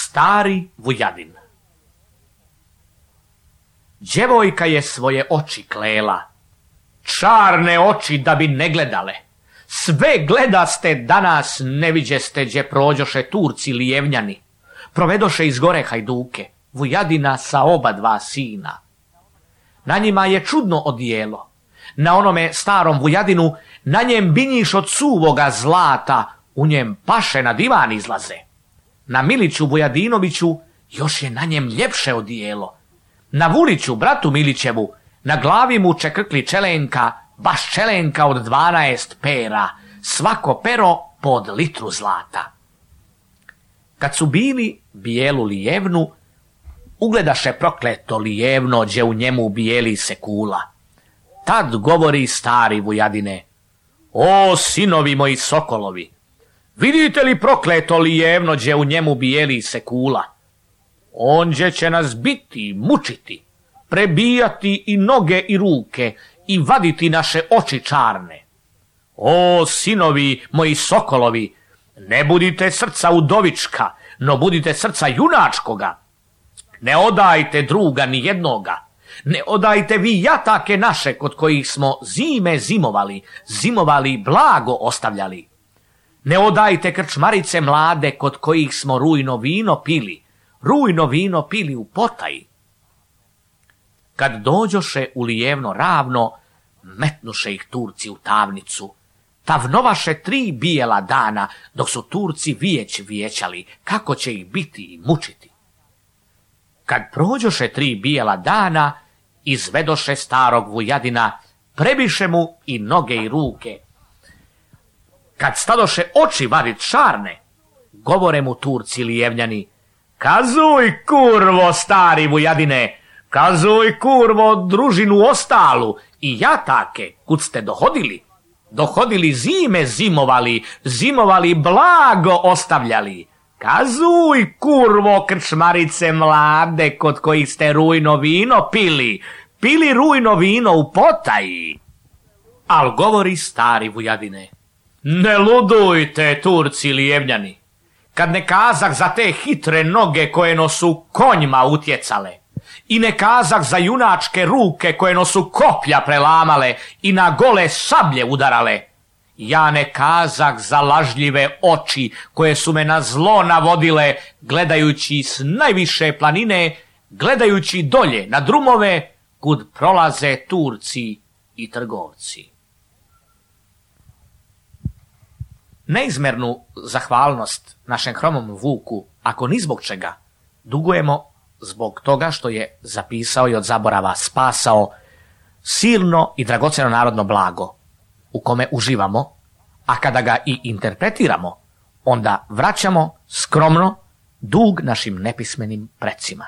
Stari Vujadin. Djevojka je svoje oči klela, čarne oči da bi ne gledale. Sve gledaste danas ne viđeste gdje prođoše Turci lijevnjani. Provedoše iz gore hajduke, Vujadina sa oba dva sina. Na njima je čudno odijelo. Na onome starom Vujadinu, na njem binjiš od suvoga zlata, u njem paše na divan izlaze. Na Miliću Vujadinoviću još je na njem ljepše odijelo. Na Vuliću, bratu Milićevu, na glavi mu čekrkli čelenka, baš čelenka od 12 pera, svako pero pod litru zlata. Kad su bili bijelu lijevnu, ugledaše prokleto lijevno, gdje u njemu bijeli se kula. Tad govori stari Vujadine: o sinovi moji sokolovi, vidite li prokleto lijevno, gdje u njemu bijeli se kula? Onđe će nas biti, mučiti, prebijati i noge i ruke i vaditi naše oči čarne. O sinovi moji sokolovi, ne budite srca udovička, no budite srca junačkoga. Ne odajte druga ni jednoga, ne odajte vi jatake naše kod kojih smo zime zimovali blago ostavljali. Ne odajte krčmarice mlade kod kojih smo rujno vino pili u potaji. Kad dođoše u lijevno ravno, metnuše ih Turci u tamnicu. Tavnovaše 3 bijela dana, dok su Turci vijećali kako će ih biti i mučiti. Kad prođoše 3 bijela dana, izvedoše starog Vujadina, prebiše mu i noge i ruke. Kad stadoše oči vadit čarne, govore mu Turci lijevnjani: kazuj kurvo, stari Vujadine, kazuj kurvo družinu ostalu i jatake kud ste dohodili zime zimovali blago ostavljali. Kazuj kurvo krčmarice mlade kod kojih ste rujno vino pili rujno vino u potaji. Al govori stari Vujadine: ne ludujte, Turci lijevnjani, kad ne kazak za te hitre noge koje nosu konjima utjecale, i ne kazak za junačke ruke koje nosu koplja prelamale i na gole sablje udarale, ja ne kazak za lažljive oči koje su me na zlo navodile, gledajući s najviše planine, gledajući dolje na drumove kud prolaze Turci i trgovci. Neizmernu zahvalnost našem hromom Vuku, ako ni zbog čega, dugujemo zbog toga što je zapisao i od zaborava spasao silno i dragocjeno narodno blago u kome uživamo, a kada ga i interpretiramo, onda vraćamo skromno dug našim nepismenim precima.